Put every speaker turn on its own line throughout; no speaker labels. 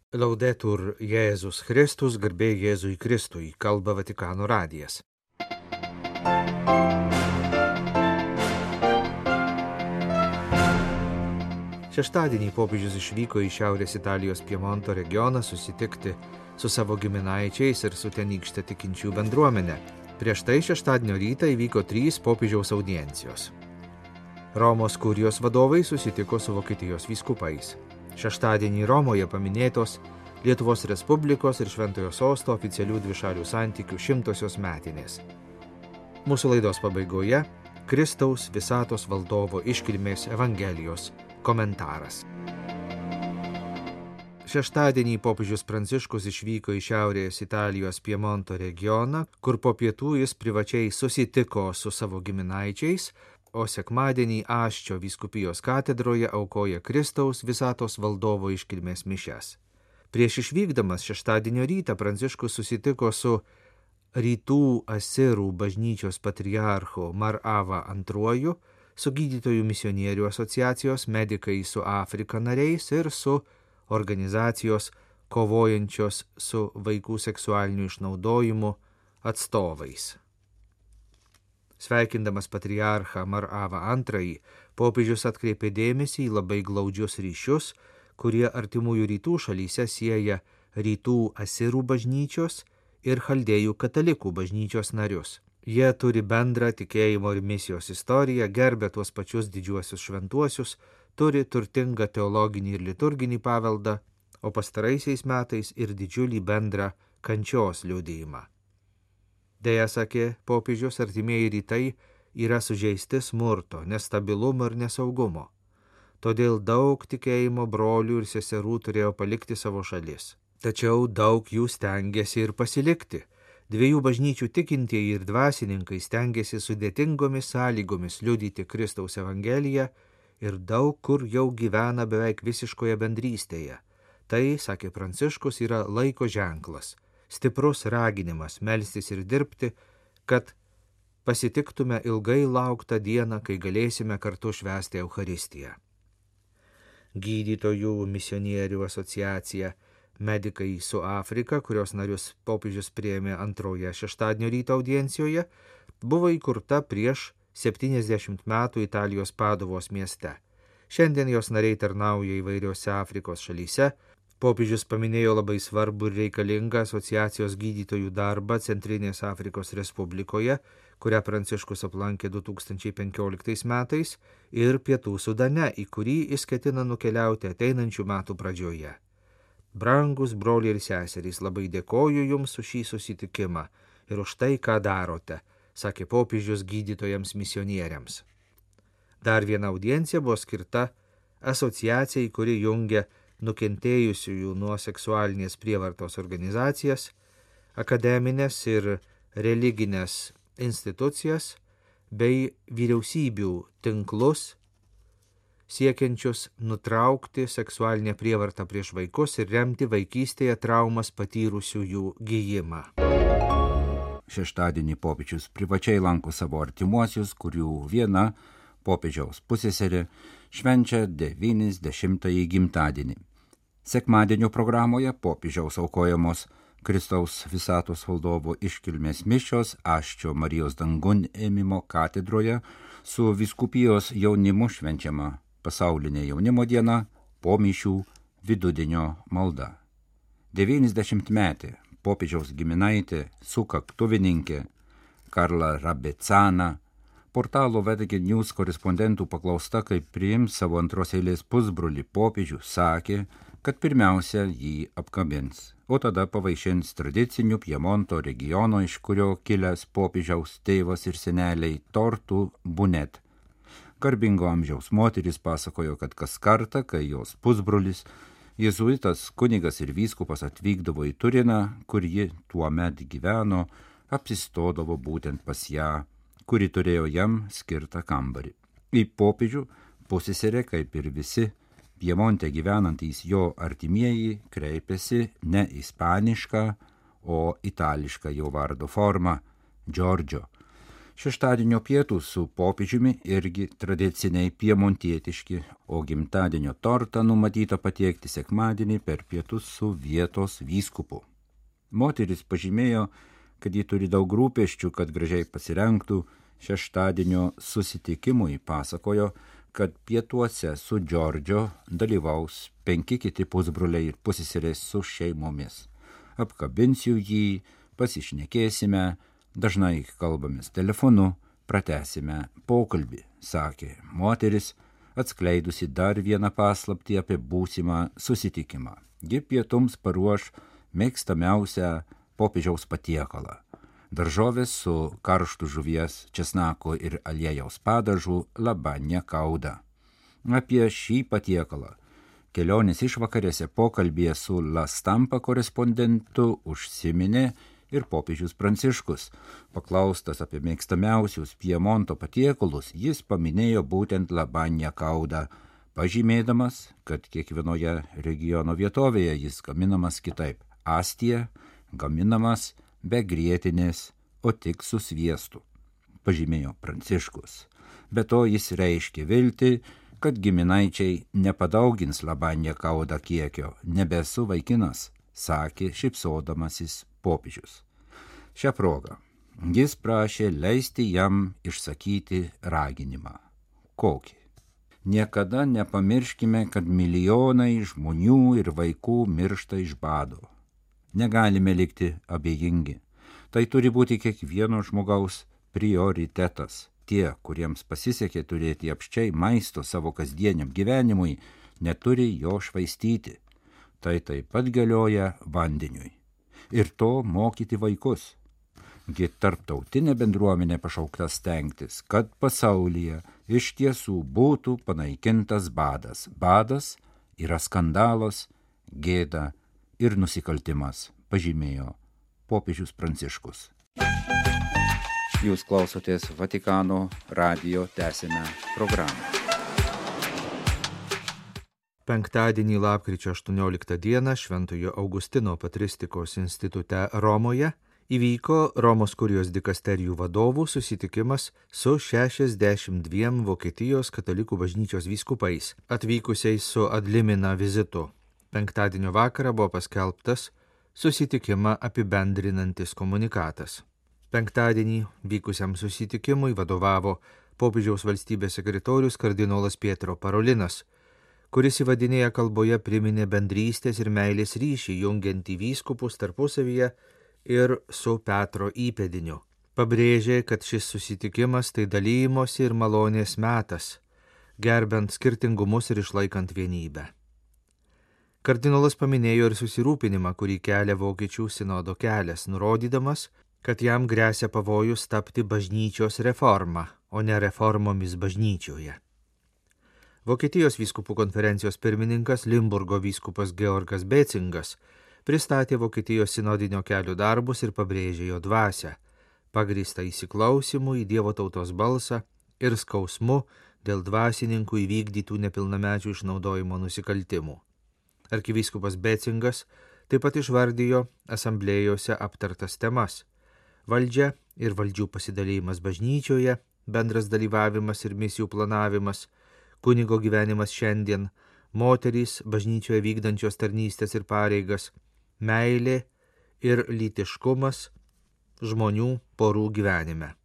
Laudetur Jėzus Kristus, garbė Jėzui Kristui, kalba Vatikano radijas. Šeštadienį popiežius išvyko į Šiaurės Italijos Piemonto regioną susitikti su savo giminaičiais ir su tenykšte tikinčių bendruomenė. Prieš tai šeštadienio rytą įvyko 3 popiežiaus audiencijos. Romos kurijos vadovai susitiko su Vokietijos vyskupais. Šeštadienį Romoje paminėtos Lietuvos Respublikos ir Šventojo Sosto oficialių dvišalių santykių 100-osios metinės. Mūsų laidos pabaigoje Kristaus visatos valdovo iškilmės Evangelijos komentaras. Šeštadienį popiežius Pranciškus išvyko į Šiaurės Italijos Piemonto regioną, kur po pietų jis privačiai susitiko su savo giminaičiais, o sekmadienį Aščio vyskupijos katedroje aukoja Kristaus visatos valdovo iškilmės mišias. Prieš išvykdamas šeštadienio rytą Pranciškus susitiko su Rytų Asirų bažnyčios patriarchu Mar Ava II, su gydytojų misionierių asociacijos Medikai su Afrika nariais ir su organizacijos kovojančios su vaikų seksualiniu išnaudojimu atstovais. Sveikindamas patriarchą Mar Ava II, popiežius atkreipė dėmesį į labai glaudžius ryšius, kurie artimųjų rytų šalyse sieja Rytų Asirų bažnyčios ir Chaldėjų katalikų bažnyčios narius. Jie turi bendrą tikėjimo ir misijos istoriją, gerbia tuos pačius didžiuosius šventuosius, turi turtingą teologinį ir liturginį paveldą, o pastaraisiais metais ir didžiulį bendrą kančios liudijimą. Deja, sakė popiežius, artimieji rytai yra sužeisti smurto, nestabilumo ir nesaugumo. Todėl daug tikėjimo brolių ir seserų turėjo palikti savo šalis. Tačiau daug jų stengiasi ir pasilikti. 2 bažnyčių tikintieji ir dvasininkai stengiasi sudėtingomis sąlygomis liudyti Kristaus Evangeliją ir daug kur jau gyvena beveik visiškoje bendrystėje. Tai, sakė Pranciškus, yra laiko ženklas. Stiprus raginimas melstis ir dirbti, kad pasitiktume ilgai lauktą dieną, kai galėsime kartu švęsti Eucharistiją. Gydytojų misionierių asociacija Medikai su Afrika, kurios narius popiežius priėmė antroje šeštadienio ryto audiencijoje, buvo įkurta prieš 70 metų Italijos Paduvos mieste. Šiandien jos nariai tarnauja įvairiose Afrikos šalyse. Popiežius paminėjo labai svarbų ir reikalingą asociacijos gydytojų darbą Centrinės Afrikos Respublikoje, kurią Pranciškus aplankė 2015 metais, ir Pietų Sudane, į kurį jis ketina nukeliauti ateinančių metų pradžioje. Brangus broliai ir seserys, labai dėkoju Jums už šį susitikimą ir už tai, ką darote, sakė popiežius gydytojams misionieriams. Dar viena audiencija buvo skirta asociacijai, kuri jungia nukentėjusiųjų nuo seksualinės prievartos organizacijas, akademinės ir religinės institucijas bei vyriausybių tinklus, siekiančius nutraukti seksualinę prievartą prieš vaikus ir remti vaikystėje traumas patyrusiųjų gijimą.
Šeštadienį popiežius privačiai lanko savo artimuosius, kurių viena, popiežiaus pusseserė, švenčia 90-ąjį gimtadienį. Sekmadienio programoje popiežiaus aukojamos Kristaus visatos valdovo iškilmės mišios Aščio Marijos dangun ėmimo katedroje su vyskupijos jaunimu švenčiama pasaulinė jaunimo diena, po mišių vidudienio malda. 90-metė popiežiaus giminaitė sukaktuvininkė Karla Rabecana, portalo Vatican News korespondentų paklausta, kaip priims savo antros eilės pusbrolį popiežių, sakė, kad pirmiausia jį apkabins, o tada pavaišins tradicinių Piemonto regiono, iš kurio kilęs popiežiaus tėvas ir seneliai, tortų bunet. Garbingo amžiaus moteris pasakojo, kad kas kartą, kai jos pusbrolis, jėzuitas kunigas ir vyskupas atvykdavo į Turiną, kur ji tuomet gyveno, apsistodavo būtent pas ją, kuri turėjo jam skirtą kambarį. Į popiežių pusseserė, kaip ir visi Piemonte gyvenantys jo artimieji, kreipėsi ne ispanišką, o itališką jo vardo formą – Giorgio. Šeštadienio pietūs su popiežiumi irgi tradiciniai piemontietiški, o gimtadienio tortą numatyta patiekti sekmadienį per pietus su vietos vyskupu. Moteris pažymėjo, kad ji turi daug rūpesčių, kad gražiai pasirengtų šeštadienio susitikimui, pasakojo, kad pietuose su Džordžio dalyvaus 5 kiti pusbroliai ir pusseserės su šeimomis. Apkabinsiu jį, pasišnekėsime, dažnai kalbamės telefonu, pratęsime pokalbį, sakė moteris, atskleidusi dar vieną paslaptį apie būsimą susitikimą. Ji pietums paruoš mėgstamiausią popiežiaus patiekalą – daržovės su karštu žuvies, česnako ir aliejaus padažu labanja kauda. Apie šį patiekalą kelionės išvakarėse pokalbėje su La Stampa korespondentu užsiminė ir popiežius Pranciškus. Paklaustas apie mėgstamiausius Piemonto patiekalus, jis paminėjo būtent labanja kaudą, pažymėdamas, kad kiekvienoje regiono vietovėje jis gaminamas kitaip. Astija gaminamas be grietinės, o tik su sviestu, pažymėjo Pranciškus. Be to jis reiškė viltį, kad giminaičiai nepadaugins labanja kaudą kiekio. Nebesu vaikinas, sakė šypsodamasis popiežius. Šią progą jis prašė leisti jam išsakyti raginimą. Kokį? Niekada nepamirškime, kad milijonai žmonių ir vaikų miršta iš bado. Negalime likti abejingi. Tai turi būti kiekvieno žmogaus prioritetas. Tie, kuriems pasisekė turėti apsčiai maisto savo kasdieniam gyvenimui, neturi jo švaistyti. Tai taip pat galioja vandeniui. Ir to mokyti vaikus. Gi tarptautinė bendruomenė pašaukta stengtis, kad pasaulyje iš tiesų būtų panaikintas badas. Badas yra skandalas, gėda ir nusikaltimas, pažymėjo popiežius Pranciškus. Jūs klausotės Vatikano radijo, tęsime programą.
Penktadienį lapkričio 18 dieną Šventojo Augustino patristikos institute Romoje įvyko Romos kurijos dikasterijų vadovų susitikimas su 62 Vokietijos katalikų bažnyčios vyskupais, atvykusiais su ad limina vizitu. Penktadienio vakarą buvo paskelbtas susitikimą apibendrinantis komunikatas. Penktadienį vykusiam susitikimui vadovavo popiežiaus valstybės sekretorius kardinolas Pietro Parolinas, kuris įvadinėje kalboje priminė bendrystės ir meilės ryšį jungiantį vyskupus tarpusavyje ir su Petro įpėdiniu. Pabrėžė, kad šis susitikimas tai dalymosi ir malonės metas, gerbent skirtingumus ir išlaikant vienybę. Kardinolas paminėjo ir susirūpinimą, kurį kelia Vokiečių sinodo kelias, nurodydamas, kad jam gresia pavojus tapti bažnyčios reforma, o ne reformomis bažnyčioje. Vokietijos vyskupų konferencijos pirmininkas Limburgo vyskupas Georgas Becingas pristatė Vokietijos sinodinio kelio darbus ir pabrėžė jo dvasią, pagrįstą įsiklausimu į Dievo tautos balsą ir skausmu dėl dvasininkų įvykdytų nepilnamečių išnaudojimo nusikaltimų. Arkivyskupas Becingas taip pat išvardijo asamblėjose aptartas temas – valdžia ir valdžių pasidalymas bažnyčioje, bendras dalyvavimas ir misijų planavimas, kunigo gyvenimas šiandien, moterys bažnyčioje vykdančios tarnystės ir pareigas, meilė ir lytiškumas žmonių porų gyvenime.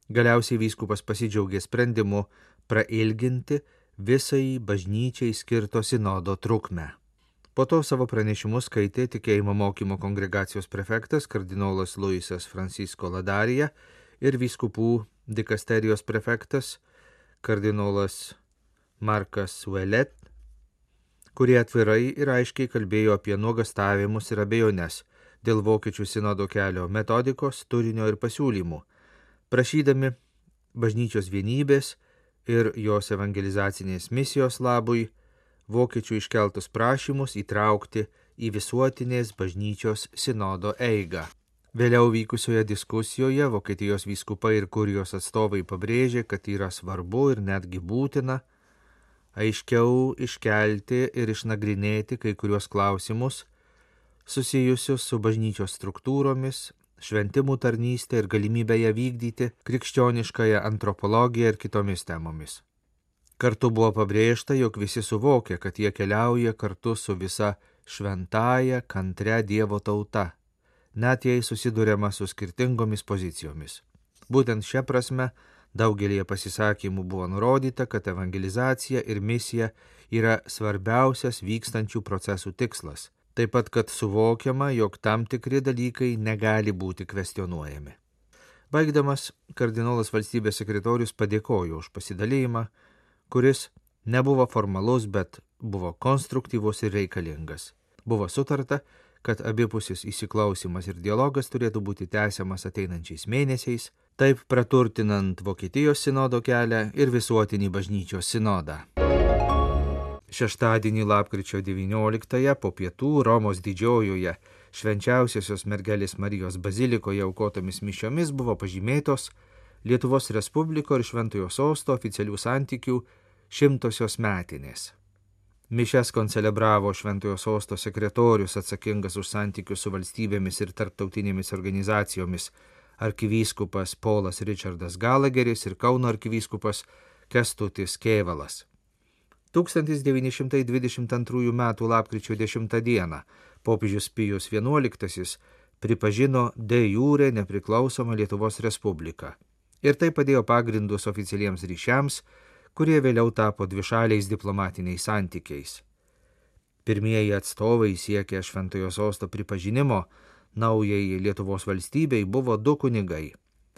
Galiausiai vyskupas pasidžiaugė sprendimu prailginti visai bažnyčiai skirto sinodo trukmę. Po to savo pranešimus skaitė tikėjimo mokymo kongregacijos prefektas kardinolas Luisas Francisco Ladarija ir vyskupų dikasterijos prefektas kardinolas Markas Ouellet, kurie atvirai ir aiškiai kalbėjo apie nuogastavimus ir abejones dėl Vokiečių sinodo kelio metodikos, turinio ir pasiūlymų, prašydami bažnyčios vienybės ir jos evangelizacinės misijos labui Vokiečių iškeltus prašymus įtraukti į visuotinės bažnyčios sinodo eigą. Vėliau vykusioje diskusijoje Vokietijos vyskupai ir kurijos atstovai pabrėžė, kad yra svarbu ir netgi būtina aiškiau iškelti ir išnagrinėti kai kuriuos klausimus susijusius su bažnyčios struktūromis šventimų tarnystę ir galimybę ją vykdyti, krikščioniškąją antropologiją ir kitomis temomis. Kartu buvo pabrėžta, jog visi suvokia, kad jie keliauja kartu su visa šventąja, kantria Dievo tauta, net jei susiduriama su skirtingomis pozicijomis. Būtent šia prasme daugelėje pasisakymų buvo nurodyta, kad evangelizacija ir misija yra svarbiausias vykstančių procesų tikslas, taip pat, kad suvokiama, jog tam tikri dalykai negali būti kvestionuojami. Baigdamas, kardinolas valstybės sekretorius padėkojo už pasidalėjimą, kuris nebuvo formalus, bet buvo konstruktyvus ir reikalingas. Buvo sutarta, kad abipusis įsiklausimas ir dialogas turėtų būti tęsiamas ateinančiais mėnesiais, taip praturtinant Vokietijos sinodo kelią ir visuotinį bažnyčios sinodą. Šeštadienį lapkričio 19-ąją po pietų Romos didžiojoje Švenčiausiosios mergelės Marijos bazilikoje aukotomis mišiomis buvo pažymėtos Lietuvos Respubliko ir Šventojo Sosto oficialių santykių 100-osios metinės. Mišias koncelebravo Šventojo Sosto sekretorius atsakingas už santykius su valstybėmis ir tarptautinėmis organizacijomis arkivyskupas Polas Richardas Galageris ir Kauno arkivyskupas Kęstutis Kėvalas. 1922 m. lapkričio 10 d. popiežius Pijus XI pripažino de jure nepriklausomą Lietuvos Respubliką ir tai padėjo pagrindus oficialiems ryšiams, kurie vėliau tapo dvišaliais diplomatiniais santykiais. Pirmieji atstovai siekė Šventojo Sosto pripažinimo naujai Lietuvos valstybei buvo du kunigai.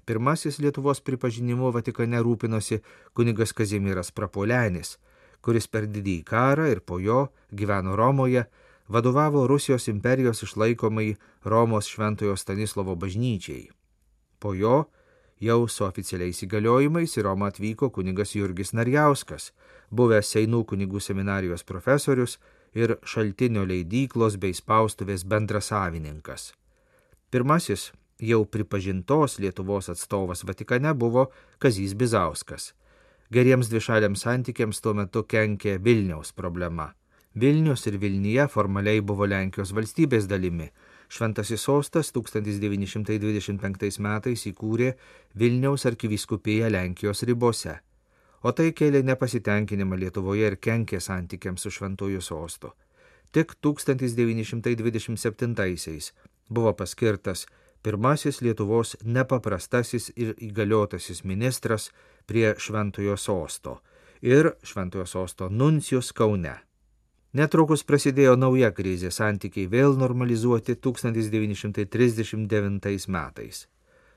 Pirmasis Lietuvos pripažinimu Vatikane rūpinosi kunigas Kazimieras Prapuolenis, kuris per didįjį karą ir po jo gyveno Romoje, vadovavo Rusijos imperijos išlaikomai Romos Šventojo Stanislovo bažnyčiai. Po jo jau su oficialiais įgaliojimais į Romą atvyko kunigas Jurgis Narjauskas, buvęs Seinų kunigų seminarijos profesorius ir Šaltinio leidyklos bei spaustuvės bendrasavininkas. Pirmasis jau pripažintos Lietuvos atstovas Vatikane buvo Kazys Bizauskas. Geriems dvišaliams santykiams tuo metu kenkė Vilniaus problema. Vilnius ir Vilnija formaliai buvo Lenkijos valstybės dalimi. Šventasis Sostas 1925 metais įkūrė Vilniaus arkivyskupiją Lenkijos ribose, o tai kėlė nepasitenkinimą Lietuvoje ir kenkė santykiams su Šventuoju Sostu. Tik 1927 buvo paskirtas pirmasis Lietuvos nepaprastasis ir įgaliotasis ministras prie Šventojo Sosto ir Šventojo Sosto nuncijus Kaune. Netrukus prasidėjo nauja krizė, santykiai vėl normalizuoti 1939 metais.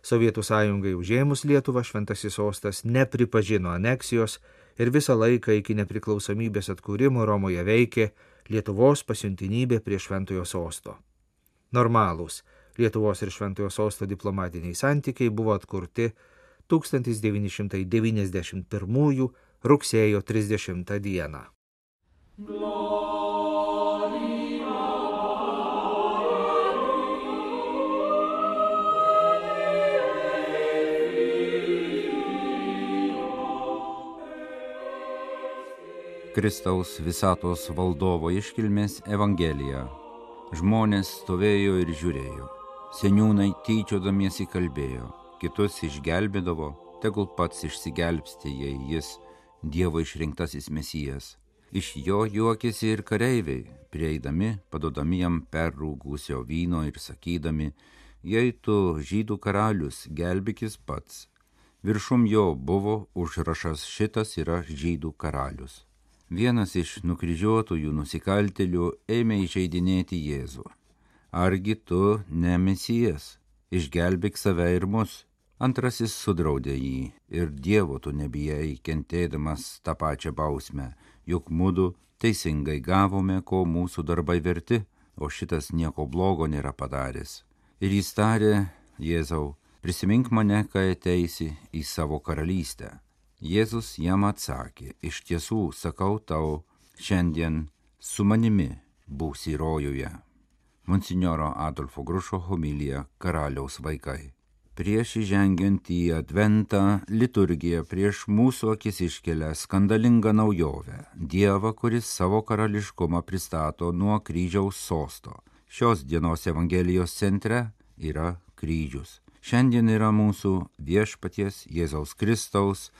Sovietų sąjungai užėmus Lietuvą Šventasis Sostas nepripažino aneksijos ir visą laiką iki nepriklausomybės atkūrimo Romoje veikė Lietuvos pasiuntinybė prie Šventojo Sosto. Normalūs Lietuvos ir Šventojo Sosto diplomatiniai santykiai buvo atkurti 1991 rugsėjo 30 dieną.
Kristaus visatos valdovo iškilmės Evangelija. Žmonės stovėjo ir žiūrėjo. Seniūnai tyčiodamiesi kalbėjo, kitus išgelbėdavo, tegul pats išsigelbsti, jei jis Dievo išrinktasis Mesijas. Iš jo juokėsi ir kareiviai, prieidami, padodami jam perrūgusio vyno ir sakydami, jei tu žydų karalius, gelbėkis pats. Viršum jo buvo užrašas šitas yra žydų karalius. Vienas iš nukryžiuotųjų nusikaltėlių ėmė įžeidinėti Jėzų. Argi tu ne Mesijas, išgelbėk save ir mus. Antrasis sudraudė jį ir Dievo tu nebijai, kentėdamas tą pačią bausmę, juk mudu teisingai gavome, ko mūsų darbai verti, o šitas nieko blogo nėra padaręs. Ir jis tarė, Jėzau, prisimink mane, kai ateisi į savo karalystę. Jėzus jam atsakė, iš tiesų sakau tau, šiandien su manimi būsi rojuje. Monsinjoro Adolfo Grušo homilija Karaliaus vaikai. Prieš įžengiant į Adventą liturgija prieš mūsų akis iškelia skandalingą naujovę, Dievą, kuris savo karališkumą pristato nuo kryžiaus sosto. Šios dienos Evangelijos centre yra kryžius. Šiandien yra mūsų viešpaties Jėzaus Kristaus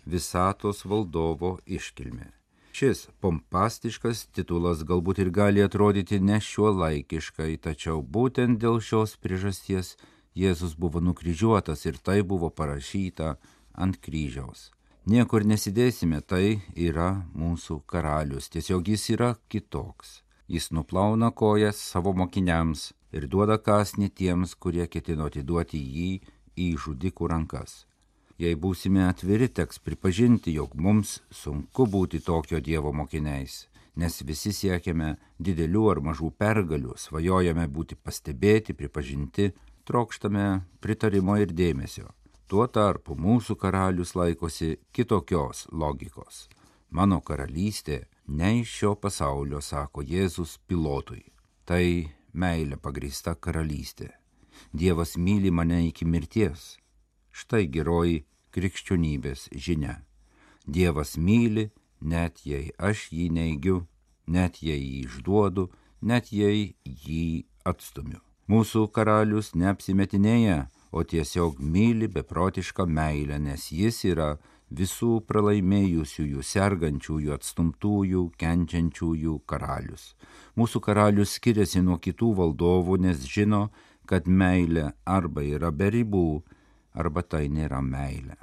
visatos valdovo iškilmė. Šis pompastiškas titulas galbūt ir gali atrodyti nešiuolaikiškai, tačiau būtent dėl šios priežasties Jėzus buvo nukryžiuotas ir tai buvo parašyta ant kryžiaus. Niekur nesidėsime, tai yra mūsų karalius, tiesiog jis yra kitoks. Jis nuplauna kojas savo mokiniams ir duoda kąsnį tiems, kurie ketino atiduoti jį į žudikų rankas. Jei būsime atviri, teks pripažinti, jog mums sunku būti tokio Dievo mokiniais, nes visi siekiame didelių ar mažų pergalių, svajojame būti pastebėti, pripažinti, trokštame pritarimo ir dėmesio. Tuo tarpu mūsų karalius laikosi kitokios logikos. Mano karalystė ne iš šio pasaulio, sako Jėzus Pilotui. Tai meilė pagrįsta karalystė. Dievas myli mane iki mirties. Štai geroji krikščionybės žinia. Dievas myli, net jei aš jį neigiu, net jei jį išduodu, net jei jį atstumiu. Mūsų karalius neapsimetinėja, o tiesiog myli beprotišką meilę, nes jis yra visų pralaimėjusiųjų, sergančiųjų, atstumtųjų, kenčiančiųjų karalius. Mūsų karalius skiriasi nuo kitų valdovų, nes žino, kad meilė arba yra be ribų, arba tai nėra meilė.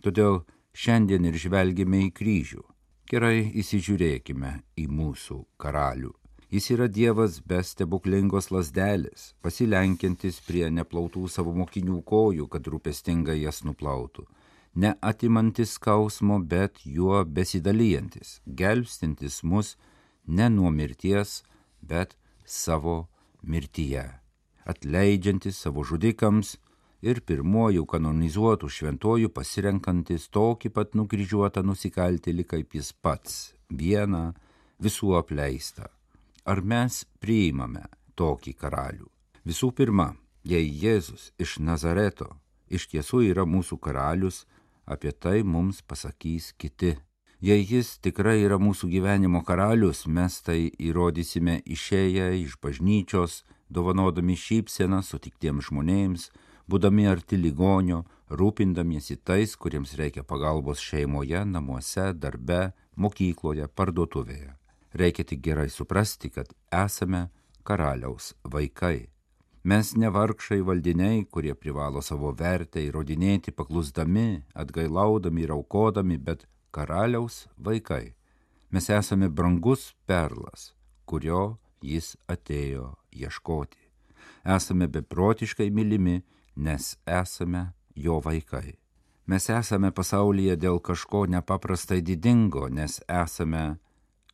Todėl šiandien ir žvelgime į kryžių. Gerai įsižiūrėkime į mūsų karalių. Jis yra Dievas be stebuklingos lazdelės, pasilenkiantis prie neplautų savo mokinių kojų, kad rūpestingai jas nuplautų. Neatimantis skausmo, bet juo besidalijantis, gelbstintis mus ne nuo mirties, bet savo mirtyje, atleidžiantis savo žudikams ir pirmuoju kanonizuotų šventuoju pasirenkantis tokį pat nukryžiuotą nusikaltėlį kaip jis pats, vieną, visų apleistą. Ar mes priimame tokį karalių? Visų pirma, jei Jėzus iš Nazareto iš tiesų yra mūsų karalius, apie tai mums pasakys kiti. Jei jis tikrai yra mūsų gyvenimo karalius, mes tai įrodysime išėję iš bažnyčios, dovanodami šypseną sutiktiems žmonėms, būdami arti ligonio, rūpindamiesi tais, kuriems reikia pagalbos šeimoje, namuose, darbe, mokykloje, parduotuvėje. Reikia tik gerai suprasti, kad esame karaliaus vaikai. Mes ne vargšai valdiniai, kurie privalo savo vertę įrodinėti paklusdami, atgailaudami ir aukodami, bet karaliaus vaikai. Mes esame brangus perlas, kurio jis atėjo ieškoti. Esame beprotiškai mylimi, nes esame jo vaikai. Mes esame pasaulyje dėl kažko nepaprastai didingo, nes esame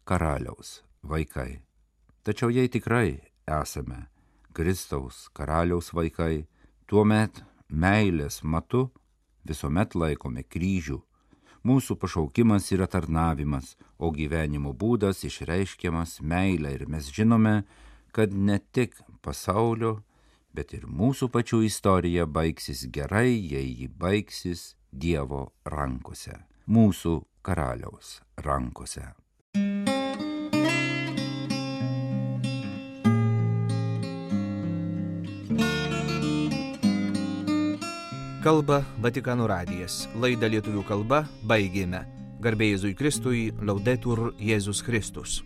karaliaus vaikai. Tačiau jei tikrai esame Kristaus karaliaus vaikai, tuomet meilės matu visuomet laikome kryžių. Mūsų pašaukimas yra tarnavimas, o gyvenimo būdas išreiškiamas meilė ir mes žinome, kad ne tik pasaulio, bet ir mūsų pačių istorija baigsis gerai, jei ji baigsis Dievo rankose, mūsų karaliaus rankose.
Kalba Vatikano radijas. Laidą lietuvių kalba baigėme. Garbė Jėzui Kristui, Laudetur Jėzus Kristus.